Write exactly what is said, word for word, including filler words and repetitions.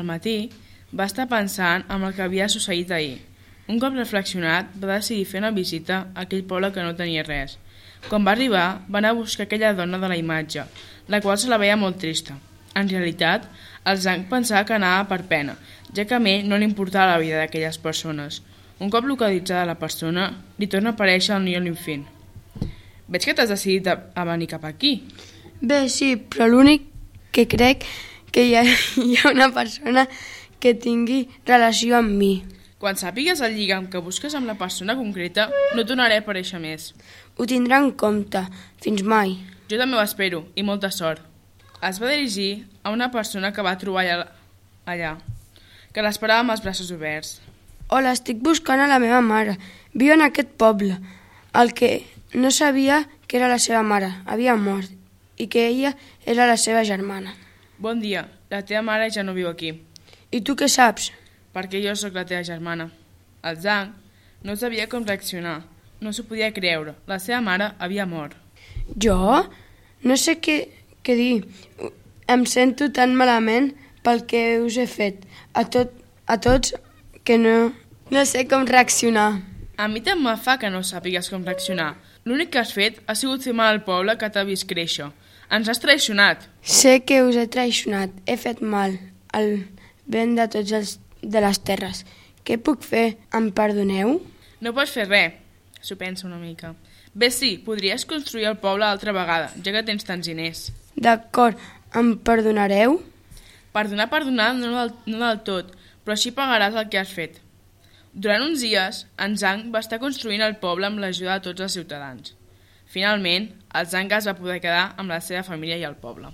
Al matí, va estar pensant en el que havia succeït ahir. Un cop reflexionat, va decidir fer una visita a aquell poble que no tenia res. Quan va arribar, va anar a buscar aquella dona de la imatge, la qual se la veia molt trista. En realitat, el Zhang pensava que anava per pena, ja que a ell no li importava la vida d'aquelles persones. Un cop localitzada la persona, li torna a aparèixer el Niu Linfin. Veig que t'has decidit a venir cap aquí. Bé, sí, però l'únic que crec que hi ha, hi ha una persona que tingui relació amb mi. Quan sàpigues el lligam que busques amb la persona concreta, no tornaré a aparèixer més. Ho tindrà en compte. Fins mai. Jo també ho espero, i molta sort. Es va dirigir a una persona que va trobar allà, allà que l'esperava amb els braços oberts. Hola, estic buscant a la meva mare. Viu en aquest poble. El que no sabia que era la seva mare. Havia mort. I que ella era la seva germana. Bon dia. La teva mare ja no viu aquí. I tu què saps? Perquè jo sóc la teva germana. El Zhang no sabia com reaccionar. No s'ho podia creure. La seva mare havia mort. Jo? No sé què, què dir. Em sento tan malament pel que us he fet. A, tot, a tots que no, no sé com reaccionar. A mi tant me fa que no sàpigues com reaccionar. L'únic que has fet ha sigut fer mal al poble que t'ha vist créixer. Ens has traicionat. Sé que us he traicionat. He fet mal al vent de tots els de les terres. Què puc fer? Em perdoneu? No pots fer res. S'ho pensa una mica. Bé, sí, podries construir el poble altra vegada, ja que tens tants diners. D'acord, em perdonareu? Perdonar, perdonar, no del, no del tot, però així pagaràs el que has fet. Durant uns dies, en Zhang va estar construint el poble amb l'ajuda de tots els ciutadans. Finalment, el Zhang es va poder quedar amb la seva família i el poble.